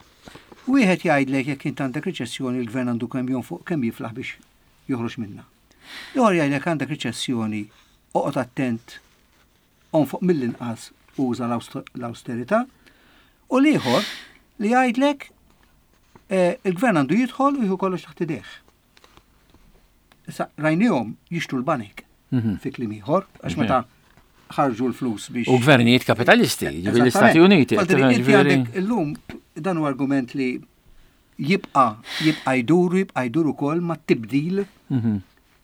Wieħed jgħidlek jekk int għandek riċessjoni, il-gvern għandu kemm jonfoq kemm jiflaħ biex joħroġ minnha. Ieħor jgħidlek għandek riċessjoni, oqgħod attent, onfoq mill-inqas, uża l-austerità. U l-ieħor li jgħidlek eh, il-gvern għandu jidħol u jieħu kollox taħt idejh. Issa rajnihom jixtru l-banek Mhm. fi kliem ieħor, għax meta ħarġu l-flus biex. U gvernijiet kapitalisti, ġifieri l-Istati Uniti. Inti Ġifieri- għandek illum dan huwa argument li jibqa' jibqa' jdur, jibqa' jdur ukoll ma' tibdil Mhm.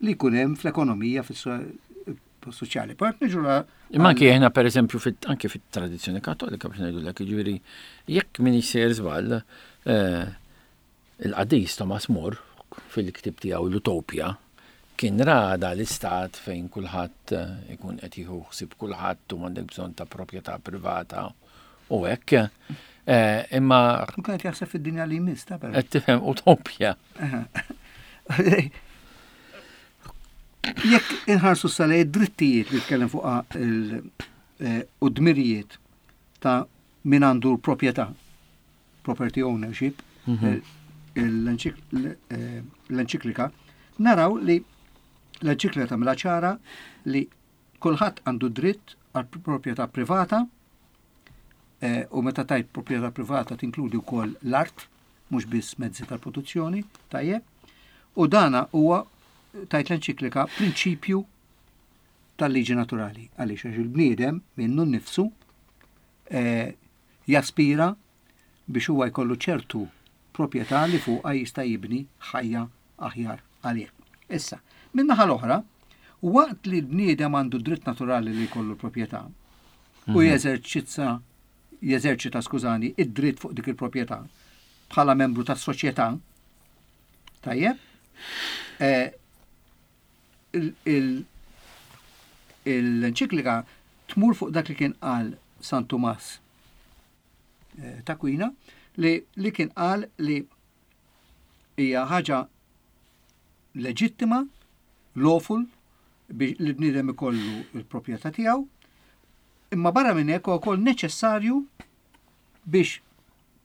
li jkun hemm fl-ekonomija, fis-soċjali. Part niġu la- Imma anki aħna per eżempju fit, anki fit-tradizzjoni Kattolika, biex ngħidu lek, ġifieri jekk min jsir żball, eh, il-qaddis Thomas More fil-ktib tiegħu l-Utopja kien rada l-istat fejn kulħadd eh, ikun qed jieħu ħsieb kulħadd u m'għandek bżonn ta' proprjetà privata u hekk. Eh, Imma U kienet jaħseb fid-dinja li jmiss, ta' però. qed tifhem utopja. Jekk inħarsu sal drittijiet li tkellem fuq il- eh, u dmirijiet ta' min għandu l-proprjetà, property ownership, Mhm. l-enċik- l- eh, l-enċiklika, naraw li l-enċiklika tagħmilha ċara li kulħadd għandu dritt għal proprjetà privata eh, u meta tajt proprjetà privata tinkludi wkoll l-art, mhux biss mezzi tal-produzzjoni, tajjeb. U dana huwa tajt l-enċiklika prinċipju tal-liġi naturali, għaliex għax il-bniedem minnu nnifsu eh, jaspira biex huwa jkollu ċertu proprjetà li fuqha jista' jibni ħajja aħjar għalih. Issa, min-naħa l-oħra, waqt li l-bniedem għandu dritt naturali li jkollu proprjetà u jeżerċizza jeżerċita, skużani, id-dritt fuq dik il-proprjetà bħala membru tas-soċjetà, tajjeb, eh, il- il- l-enċiklika tmur fuq dak li kien qal San Tumas eh, t'Akwina li, li kien qal li hija ħaġa leġittima, lawful, biex li bniedem ikollu il-proprjetà tiegħu, imma barra minn hekk huwa wkoll neċessarju biex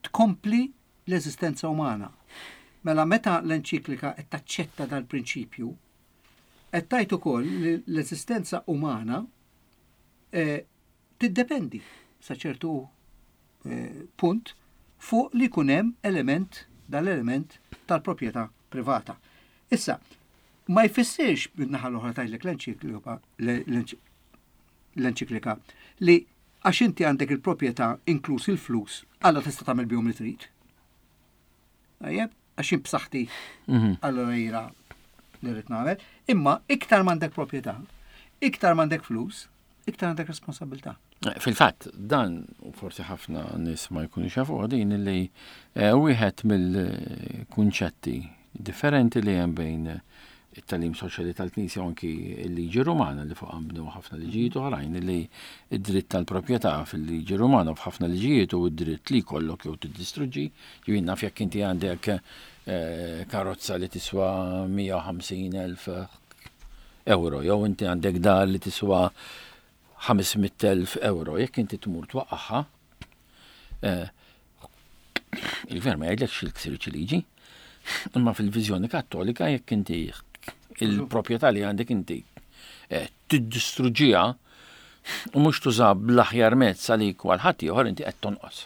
tkompli l-eżistenza umana. Mela meta l-enċiklika qed taċċetta dal-prinċipju, qed tgħid ukoll li l-eżistenza umana eh, tiddependi sa ċertu eh, punt fuq li jkun hemm element dal-element tal-proprjetà privata. Issa, ma jfissirx min-naħa l-oħra tgħidlek l-enċiklika l-enċiklika li għax inti għandek il-proprjetà inkluż il-flus, alla tista' tagħmel bihom li trid. Tajjeb, għax jien b'saħħti Mhm. allora jira li rrid nagħmel, imma iktar m'għandek proprjetà, iktar m'għandek flus, iktar għandek responsabilità. Fil-fatt, dan, u forsi ħafna nies ma jkunu jafu din li eh, wieħed mill-kunċetti differenti li hemm bejn it-tagħlim soċjali tal-Knisja u anki l-liġi Rumana li fuq bnew ħafna liġijiet oħrajn, li id-dritt tal-proprjetà fil-liġi Rumana u f'ħafna liġijiet u id-dritt li jkollok jew tiddistruġġi. Ġifieri naf jekk inti għandek eh, karozza li tiswa mija u ħamsin elf euro jew inti għandek dar li tiswa ħames mitt elf euro, jekk inti tmur twaqqaħħa, eh, il-gvern ma jgħidlekx il-ksirċ liġi, imma fil-viżjoni Kattolika jekk inti il-proprjetà li għandek inti eh, tiddistruġġiha u mhux tuża bl-aħjar mezz għalik u għal ħadd ieħor, inti qed tonqos.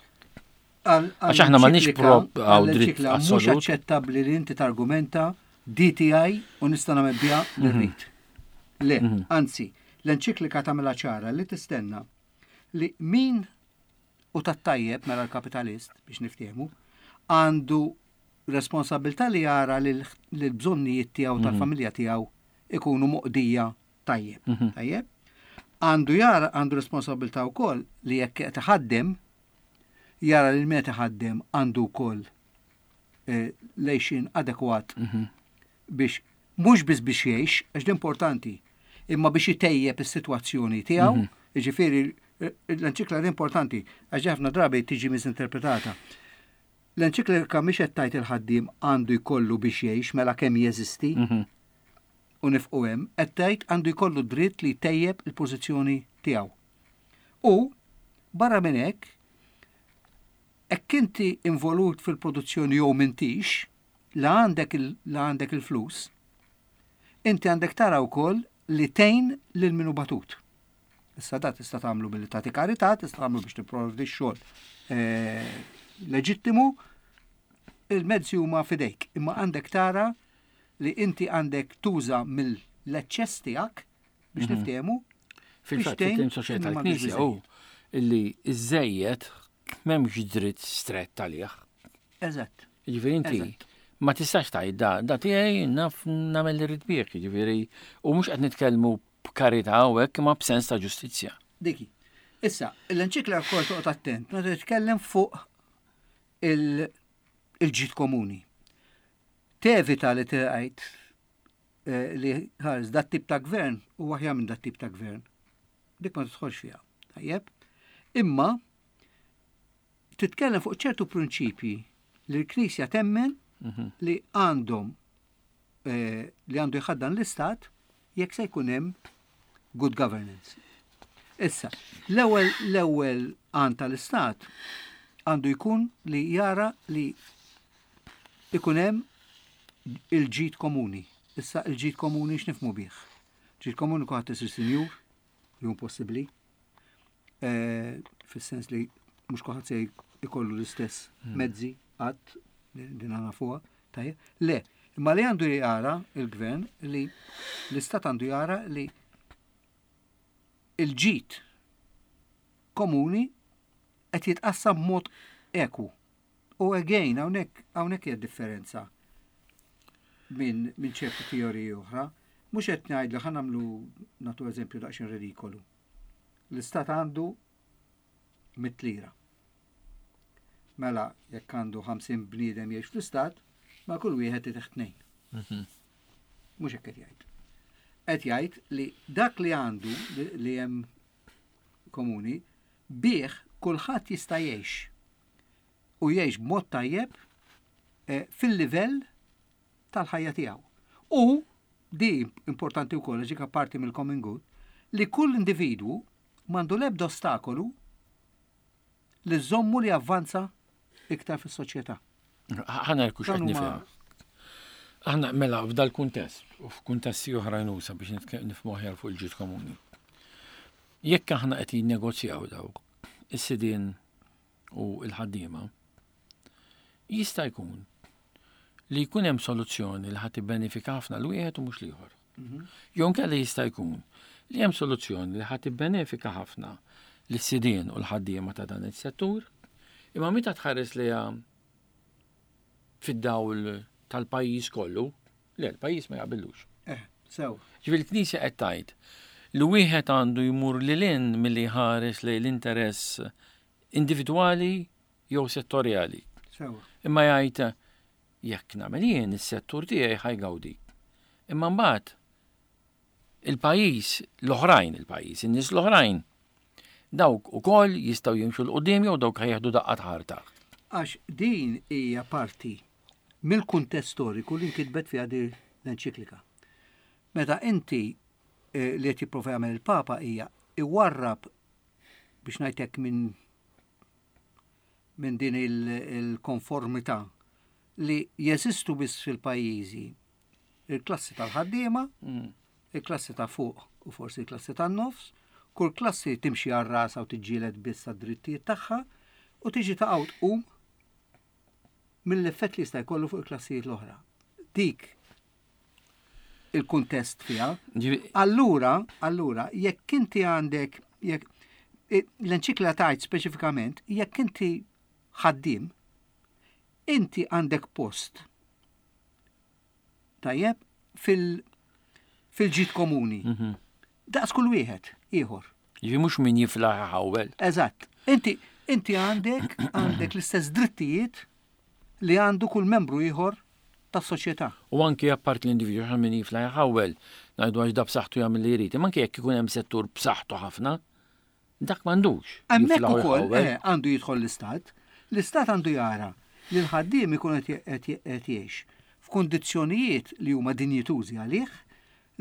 Għax aħna m'għandniex prop għaw dritt Mhux assolut. aċċettabbli li inti targumenta D T I u nista' nagħmel biha li Mhm. rrid. Le, anzi, l-enċiklika tagħmilha ċara li tistenna li min u tat-tajjeb, mela l-kapitalist, biex niftehmu, għandu responsabilità li jara li l-bżonnijiet tiegħu tal-familja tiegħu ikunu moqdija tajjeb. Tajjeb? Għandu jara għandu responsabilità wkoll li jekk qed iħaddem jara li min qed iħaddem għandu wkoll eh, l-għajxien adekwat biex mhux biss biex jgħix, għax l-importanti, imma biex itejjeb is-sitwazzjoni tiegħu, jiġifieri eh, l-enċiklika importanti għax ħafna drabi tiġi misinterpretata. L-enċiklika mhix qed tgħid il-ħaddiem għandu jkollu biex jgħix mela kemm jeżisti u nifqu hemm, qed tgħid għandu jkollu dritt li jtejjeb il-pożizzjoni tiegħu. U barra minn hekk, hekk inti involut fil-produzzjoni jew m'intix, la għandek il- la għandek il-flus, inti għandek tara wkoll li tgħin lil min hu batut. Issa da tista' tagħmlu billi tagħti karità, tista' tagħmlu biex tipprovdi x-xogħol eh, leġittimu, il-mezzi huma fidejk, imma għandek tara li inti għandek tuża mill-eċċess tiegħek biex niftehmu Fil-fatt, biex tgħin fit-tlim soċjetà min m'għandux tal-Knisja hu illi iż-żejjed m'hemmx dritt strett għalih. Eżatt. Jiġifieri inti Eżatt. ma tistax tgħid da da tiegħi naf nagħmel li rrid bih, jiġifieri u mhux qed nitkellmu b'karità u hekk imma b'sens ta' ġustizzja. Diki. Issa, l-enċiklika wkoll toqgħod attent, meta titkellem fuq il- il-ġid komuni. Tevita li tgħid eh, li ħares dat tip ta' gvern u aħjar minn dat tip ta' gvern. Dik ma tidħolx fiha. Tajjeb? Imma titkellem fuq ċertu prinċipji li l-Knisja temmen li għandhom eh, li għandu jħaddan l-istat jekk se jkun hemm good governance. Issa, l-ewwel l-ewwel għan tal-istat għandu jkun li jara li ikun hemm il-ġid komuni. Issa il-ġid komuni x'nifhmu bih? Ġid komuni kulħadd isir sinjur, li hu possibbli, eh, fis-sens li mhux kulħadd se jkollu l-istess mezzi qatt din nafuha, tajjeb. Le, imma li għandu jara il-gvern li l-istat għandu jara li il-ġid komuni qed jitqassam b'mod ekwu. U again, hawnhekk hawnhekk hija differenza minn min ċertu teoriji oħra. Mhux qed ngħid li ħa nagħmlu nagħtu eżempju daqsxejn ridikolu. L-istat għandu mitt lira. Mela, jekk għandu ħamsin bniedem jgħix fl-istat, ma kull wieħed itih tnejn. Mhux hekk qed jgħid. Qed jgħid li dak li għandu li- li hemm komuni, bih kulħadd jista' jgħix. U jgħix b'mod tajjeb eh, fil-livell tal-ħajja tiegħu. U di importanti wkoll ġika parti mill-common good, li kull individwu m'għandu l-ebda ostakolu li żommu li avvanza iktar fis-soċjetà. Ħana rkux qed Dan huma- nifhem. Aħna mela f'dal kuntest u f'kuntesti oħrajn usa biex nitke- nifhmu aħjar fuq il-ġid komuni. Jekk aħna qed jinnegozjaw dawk is-sidien u l-ħaddiema, jista' jkun li jkun hemm soluzzjoni li ħadd ibbenefika ħafna l wieħed u mhux l-ieħor. Jew inkella jista' jkun li hemm soluzzjoni li ħadd ibbenefika ħafna lis-sidien u l-ħaddiema ta' dan is-settur, imma meta tħares liha fid-dawl tal-pajjiż kollu, le l-pajjiż ma jaqbillux. Eh, sew. Ġifieri l-Knisja qed tgħid li wieħed għandu jmur lil hinn milli jħares lejn l-interess individwali jew settorjali. Sew. Imma jgħid jekk nagħmel jien is-settur tiegħi ħa jgawdi. Imma mbagħad il-pajjiż l-oħrajn il-pajjiż, in-nies l-oħrajn dawk ukoll jistgħu jimxu 'l quddiem jew dawk ħa jieħdu daqqa ħarta. Għax din hija parti mill-kuntest storiku li nkitbet fiha din l-enċiklika. Meta inti eh, li qed jipprova jagħmel il-Papa hija iwarrab biex ngħidlek minn minn din il- il-konformità li jeżistu biss fil-pajjiżi il-klassi tal-ħaddiema, il-klassi ta' fuq u forsi il-klassi tan-nofs, kull klassi timxi għal rasa u tiġġieled biss għad-drittijiet tagħha u tiġi ta' tqum mill-effett li jista' jkollu fuq il-klassijiet l-oħra. Dik il-kuntest fiha. Ġifieri- Allura, allura, jekk inti għandek, jekk eh, l-enċiklika tgħid speċifikament, jekk inti ħaddiem, inti għandek post. Tajjeb, fil- fil-ġid komuni. Daqs kull wieħed, ieħor. Ġifieri mhux min jiflaħ ħawel. Eżatt. Inti inti għandek għandek l-istess drittijiet li għandu kull membru ieħor tas-soċjetà. U anki apart l-individwu għax min jifla jħawel, ngħidu għax da b'saħħtu jagħmel li jrid. Imma anke jekk ikun hemm settur b'saħħtu ħafna, dak m'għandux. Hemmhekk jifla u ukoll jħawwel. eh, għandu jidħol l-istat. L-istat għandu jara li l-ħaddiem ikun qed qed- qed jgħix f'kundizzjonijiet li huma dinjitużi għalih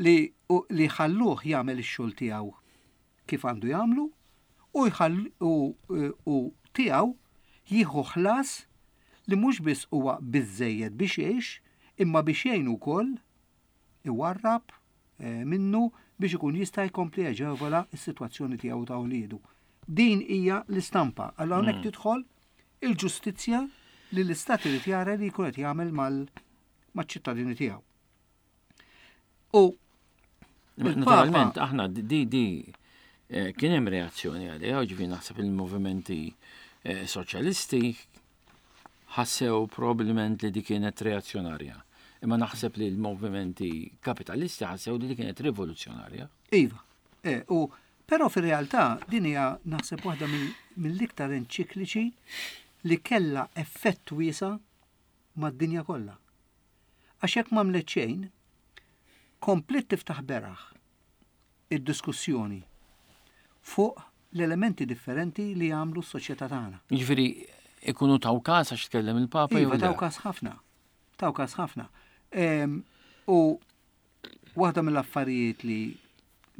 li u- li ħalluh jagħmel ix-xogħol tiegħu kif għandu jagħmlu u jħall u, u tiegħu jieħu ħlas li mhux biss huwa biżejjed biex jgħix imma biex jgħinu wkoll iwarrab eh, minnu biex ikun jista' jkompli jaġevola s-sitwazzjoni tiegħu ta' wliedu. Din hija l-istampa. Allura hawnhekk tidħol il-ġustizzja li l-istat irid jara li jkun qed jagħmel mal maċ-ċittadini tiegħu. U Imma il-Papa- Naturalment, aħna di di eh, kien hemm reazzjoni għaliha, ġifieri naħseb il-movimenti eh, soċjalisti ħassew probabbilment li di kienet reazzjonarja. Imma naħseb li l-movimenti kapitalisti ħassew li di kienet rivoluzzjonarja. Iva, eh, u però fir-realtà din hija naħseb waħda mill- mill-iktar enċikliċi li kella effett wiesa' mad-dinja kollha. Għax jekk m'għamlet xejn, komplet tiftaħ beraħ id-diskussjoni fuq l-elementi differenti li jagħmlu s-soċjetà tagħna. Ġifieri ikunu taw każ għax tkellem il-Papa jew Iva, le? taw każ ħafna. Taw każ ħafna. Em, U waħda mill-affarijiet li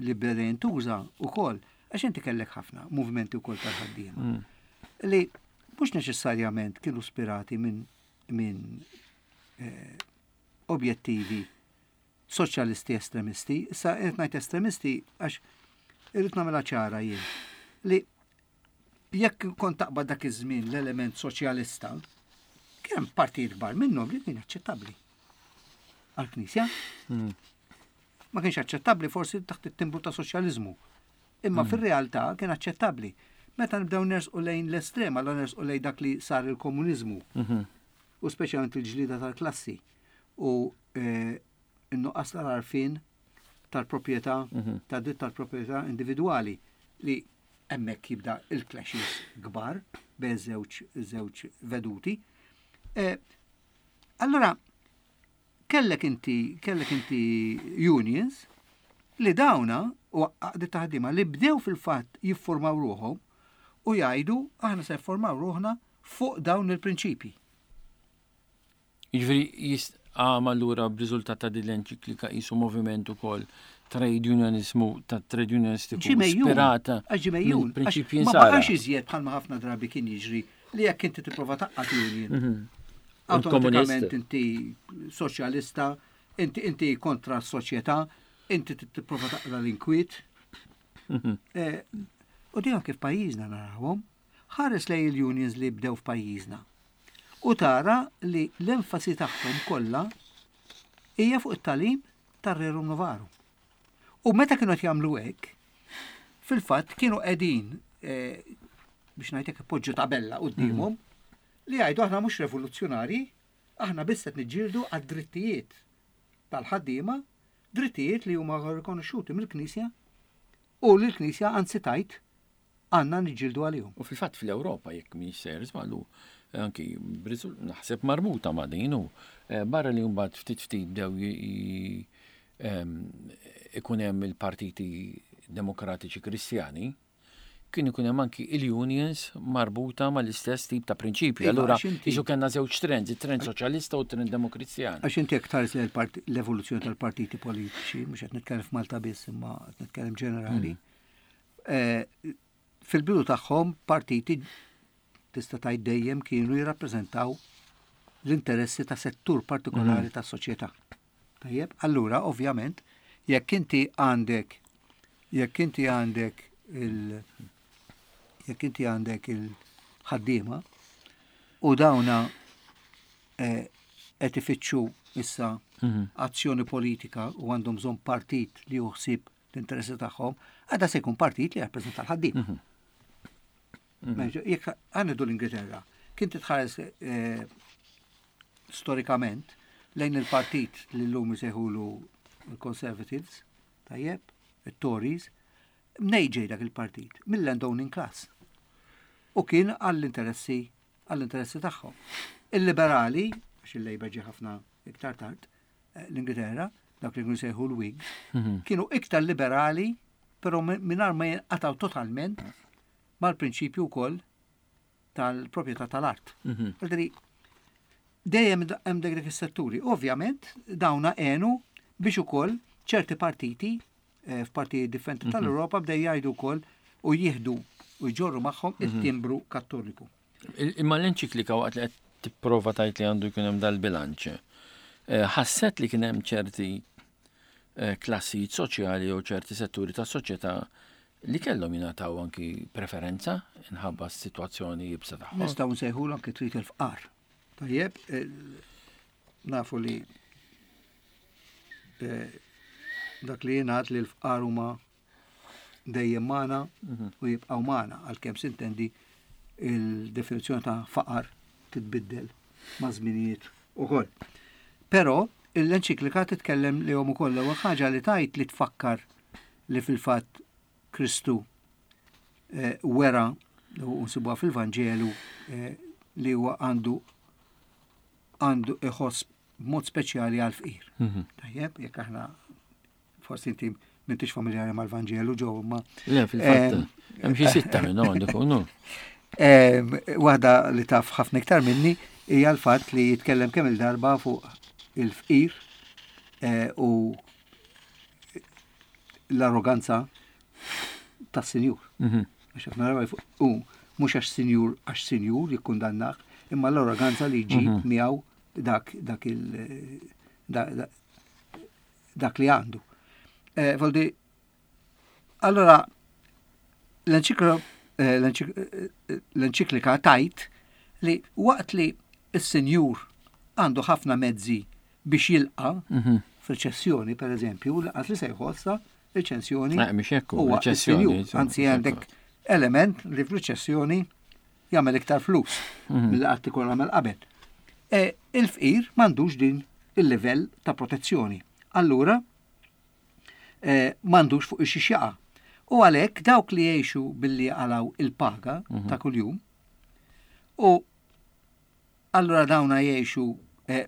li beda jintuża wkoll, għax inti kellek ħafna movimenti wkoll tal-ħaddiema. Mm. Li mhux neċessarjament kienu spirati minn min, eh, objettivi soċjalisti estremisti. Issa qed ngħid estremisti għax irrid nagħmilha ċara jien li jekk kont taqbad dak iż-żmien l-element soċjalista, kien hemm partijiet kbar minnhom li kien aċċettabbli. Għall-Knisja Mm. ma kienx aċċettabbli forsi taħt it-timbru ta' soċjaliżmu. Imma fir-realtà kien aċċettabbli. Meta nibdew nersqu lejn l-estrema, la nersqu lejn dak li sar il-komuniżmu Mhm. u speċjalment il-ġlida tal-klassi u eh, n-nuqqas tal-arfin tal-proprjetà, Mhm. tad dritt tal-proprjetà individwali li hemmhekk jibda il-clashes kbar bejn żewġ żewġ veduti. Eh, Allora, kellek inti, kellek inti unions li dawna u għaqdiet ta' ħaddiema li bdew fil-fatt jiffurmaw ruħhom u jgħidu aħna se jiffurmaw ruħna fuq dawn il-prinċipji. Jiġifieri jist għam allura b'riżultat ta' din l-enċiklika qisu moviment ukoll trade unionismu ta' trade unionistiku Ġie mejjun, ispirata għax ġie mejjun, mill-prinċipji għax ma nsara. baqax iżjed bħalma ħafna drabi kien jiġri li jekk inti tipprova tgħaqqad union. Mhm. Automatikament Il-komunist. inti soċjalista, inti inti kontra s-soċjetà, inti tipprova taqla l-inkwiet. Mhm. Eh, U di anke f'pajjiżna narawhom, ħares lej il-unions li bdew f'pajjiżna. U tara li l-enfasi tagħhom kollha hija fuq it-tagħlim tar-Rerum Novarum. U meta kienu qed jagħmlu hekk, fil-fatt kienu qegħdin eh, biex ngħidlek ipoġġu tabella quddiemhom li jgħidu aħna mhux revoluzzjonari, aħna biss qed niġġieldu għad-drittijiet tal-ħaddiema, drittijiet li huma rikonoxxuti mill-Knisja u li l-Knisja anzi tajt għandna niġġieldu għalihom. U fil-fatt fl-Ewropa jekk minn sejjer żballu anki b'riżul- naħseb marbuta ma' din u eh, barra li mbagħad ftit ftit bdew i- i- em, ikun hemm il-partiti demokratiċi kristjani, kien ikun hemm anki il-unions marbuta mal-istess tip ta' prinċipji. Iva, Allura għax inti- qisu kellna żewġ trends, it-trend soċjalista u t-trend demokristjan. Għax inti jekk tħares lejn il-parti- l-evoluzzjoni tal-partiti politiċi, mhux qed nitkellem f'Malta biss imma qed nitkellem ġenerali. eh, Fil-bidu tagħhom partiti tista' tgħid dejjem kienu jirrappreżentaw l-interessi ta' settur partikolari tas-soċjetà. Tajjeb, allura ovvjament jekk inti għandek jekk inti għandek il jekk inti għandek il-ħaddiema u dawna eh, qed ifittxu issa Mhm. azzjoni politika u għandhom bżonn partit li juħsib l-interessi tagħhom, għadha se jkun partit li jirrappreżenta l-ħaddiema. Meġa, Jekk għandu l-Ingilterra, kien titħares eh, storikament lejn il-partit li l-lum jsejħulu il-Conservatives, tajjeb, il-Tories, mnej ġej dak il-partit, mill-landowning class. U kien għall-interessi għall-interessi tagħhom. Il-liberali, għax il-Labour ġie ħafna iktar tard, eh, l-Ingilterra, dak li kienu sejħu l-Whigs, Mhm. kienu iktar liberali, però mingħajr ma jinqataw totalment mal-prinċipju wkoll tal-proprjetà tal-art. Mhm. Għaldri, dejjem hemm dak dak is-setturi. Ovvjament, dawna għenu biex ukoll ċerti partiti eh, f'partijiet differenti tal-Ewropa bdew jgħidu wkoll u jieħdu u jġorru magħhom it-timbru kattoliku. Il- Imma l-enċiklika waqt li qed tipprova tajt li għandu jkun hemm dal-bilanċ. eh, Ħasset li kien hemm ċerti eh, klassijiet soċjali jew ċerti setturi ta' soċjetà li kellhom jingħataw anki preferenza inħabba s-sitwazzjoni jibsa tagħhom. Nistgħu nsejħulu anke trid il-fqar. Tajjeb, eh, nafu li eh, dak li jingħad li l-fqar huma dejjem magħna u jibqgħu magħna għalkemm sintendi il-definizzjoni ta' faqar titbiddel ma' żminijiet ukoll. Però l-enċiklika titkellem li hom ukoll l-ewwel ħaġa li tajt li tfakkar li fil-fatt Kristu eh, wera u nsibuha fil-Vanġelu eh, li huwa għandu għandu iħoss b'mod speċjali għal fqir. Mhm. Tajjeb, jekk aħna forsi inti m'intix familjari mal-Vanġelu ġew ma Le, fil-fatt, Em, hemm xi sitta minnhom għandu jkunu. Em, Waħda li taf ħafna iktar minni hija l-fatt li jitkellem kemm il-darba fuq il-fqir eh, u l-arroganza tas-sinjur. Mhm. Għax ħafna darba fuq- u mhux għax sinjur għax sinjur jikkundannah, imma l-arroganza li jġib miegħu dak dak il da- da- dak li għandu. Eh, Voldi, allora l-enċiklo- eh, l-enċik- eh, l-enċiklika tajt li waqt li s-sinjur għandu ħafna mezzi biex jilqa Mhm. f'reċessjoni, per eżempju, laqas li se jħossa riċessjoni Eh, mhix hekk, huwa riċessjoni, s-sinjur. insomma, Anzi mhux hekk. għandek element li f'riċessjoni jagħmel iktar flus Mhm. mill qatt ikun għamel qabel. E, il-fqir m'għandux din il-livell ta' protezzjoni. Allura eh, m'għandux fuq ix jaqa'. U għalhekk dawk li jgħixu billi għalaw il-paga ta' kuljum u allura dawna jgħixu eh,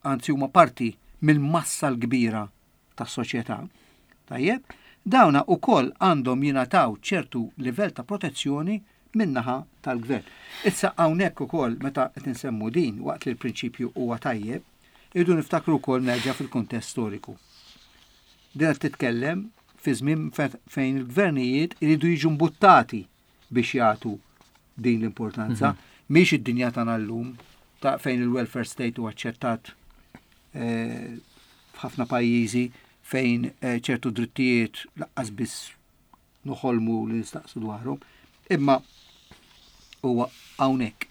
anzi huma parti mill-massa l-kbira tas-soċjetà. Tajjeb, dawna ukoll għandhom jingħataw ċertu livell ta' protezzjoni min-naħa tal-gvern. Issa hawnhekk ukoll meta qed insemmu din waqt li l-prinċipju huwa tajjeb, irridu niftakru wkoll nerġa' fil-kuntest storiku. Din qed titkellem fi żmien fe- fejn il-gvernijiet iridu jiġu mbuttati biex jagħtu din l-importanza. Mhix id-dinja tagħna llum ta' fejn il-welfare state huwa aċċettat eh, f'ħafna pajjiżi fejn eh, ċertu drittijiet laqqas biss noħolmu li nistaqsu dwarhom, imma huwa hawnhekk.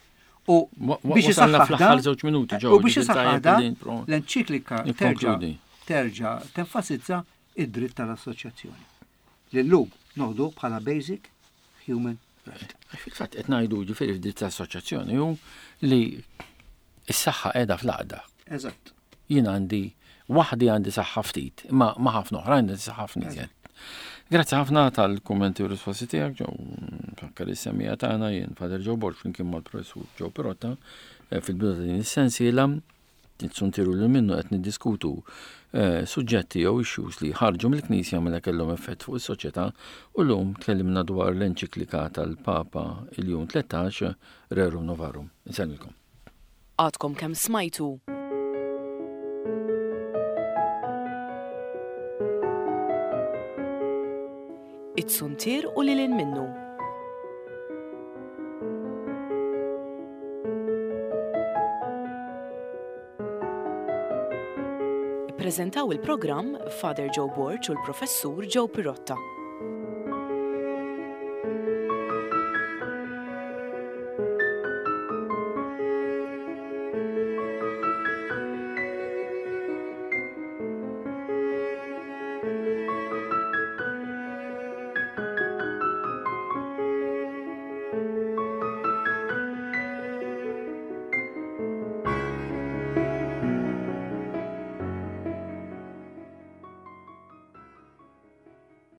U Wa- wa- biex Wasalna isaħħaħ fl-aħħar dan- żewġ minuti ġew. u biex ġifieri isaħħaħ tajjeb dan, li nipro- l-enċiklika terġa' Nikkonkludi. terġa' tenfasizza id-dritt tal-assoċjazzjoni. Li llum noħdu bħala basic human right. Fil-fatt qed ngħidu ġifieri f'dritt ta' assoċjazzjoni hu li s-saħħa qiegħda fl-għaqda. Eżatt. Jien għandi waħdi għandi saħħa ftit, imma ma' ħafna oħrajn għandi saħħa ħafna iżjed. Grazzi ħafna tal-kummenti u risposti tiegħek ġew fakkar is-semija tagħna jien Father Joe Borg flimkien mal-Professur Joe Pirotta eh, fil-bidu ta' din is-sensiela nitsuntiru li minnu qed niddiskutu eh, suġġetti jew issues li ħarġu mill-Knisja mela kellhom effett fuq is-soċjetà u llum tkellimna dwar l-enċiklika tal-Papa il-Jum tlettax Rerum Novarum. Insellmilkom. Għadkom kemm smajtu It-suntier u lilin minnu. Ippreżentaw il-programm Father Joe Borg u l-Professur Joe Pirotta.